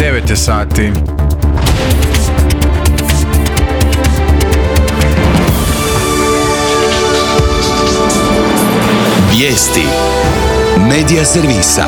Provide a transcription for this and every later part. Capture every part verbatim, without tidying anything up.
devet je sati. Vijesti Medija servisa.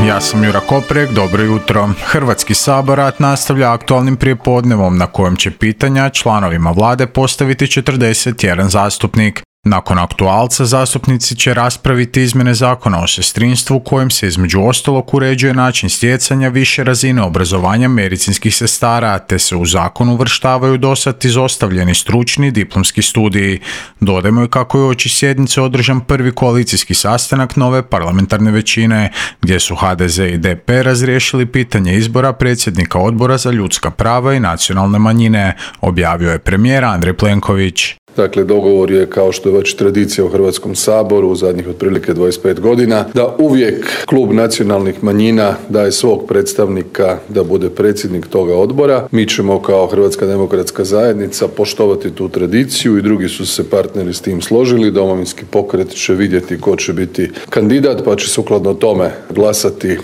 Ja sam Jura Koprek, dobro jutro. Hrvatski sabor nastavlja aktualnim prijepodnevom na kojem će pitanja članovima vlade postaviti četrdeset jedan zastupnik. Nakon aktualca zastupnici će raspraviti izmjene zakona o sestrinstvu kojim se između ostalog uređuje način stjecanja više razine obrazovanja medicinskih sestara, te se u zakon uvrštavaju dosad izostavljeni stručni diplomski studiji. Dodajmo i kako je uoči sjednice održan prvi koalicijski sastanak nove parlamentarne većine, gdje su ha de ze i de pe razriješili pitanje izbora predsjednika Odbora za ljudska prava i nacionalne manjine, objavio je premijer Andrej Plenković. Dakle, dogovor je, kao što je već tradicija u Hrvatskom saboru u zadnjih otprilike dvadeset pet godina, da uvijek klub nacionalnih manjina daje svog predstavnika da bude predsjednik toga odbora. Mi ćemo kao Hrvatska demokratska zajednica poštovati tu tradiciju i drugi su se partneri s tim složili. Domovinski pokret će vidjeti ko će biti kandidat, pa će sukladno tome glasati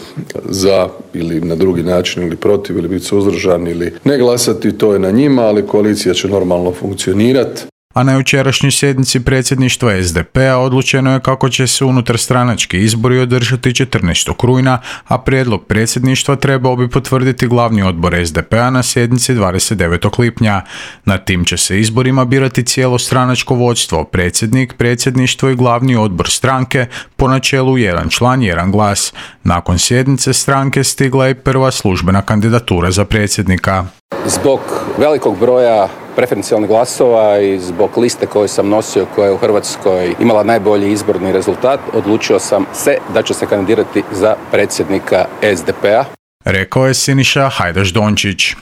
za ili na drugi način ili protiv ili biti suzdržan ili ne glasati. To je na njima, ali koalicija će normalno funkcionirati. A na jučerašnjoj sjednici predsjedništva es de pe-a odlučeno je kako će se unutarstranački izbori održati četrnaestog rujna, a prijedlog predsjedništva trebao bi potvrditi glavni odbor es de pe-a na sjednici dvadeset devetog lipnja. Na tim će se izborima birati cijelo stranačko vodstvo, predsjednik, predsjedništvo i glavni odbor stranke po načelu jedan član, jedan glas. Nakon sjednice stranke stigla je prva službena kandidatura za predsjednika. Zbog velikog broja preferencijalnih glasova i zbog liste koju sam nosio, koja je u Hrvatskoj imala najbolji izborni rezultat, odlučio sam se da ću se kandidirati za predsjednika es de pe-a. Rekao je Siniša Hajdaš Dončić.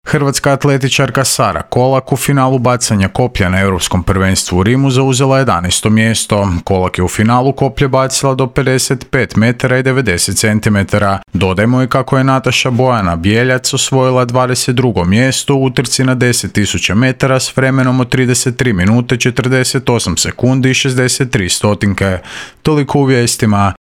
Hrvatska atletičarka Sara Kolak u finalu bacanja koplja na Europskom prvenstvu u Rimu zauzela jedanaesto mjesto. Kolak je u finalu koplje bacila do pedeset pet metara i devedeset centimetara. Dodajmo i kako je Nataša Bojana Bijeljac osvojila dvadeset drugo mjesto u utrci na deset tisuća metara s vremenom od trideset tri minute četrdeset osam sekundi i šezdeset tri stotinke. Toliko u vijestima.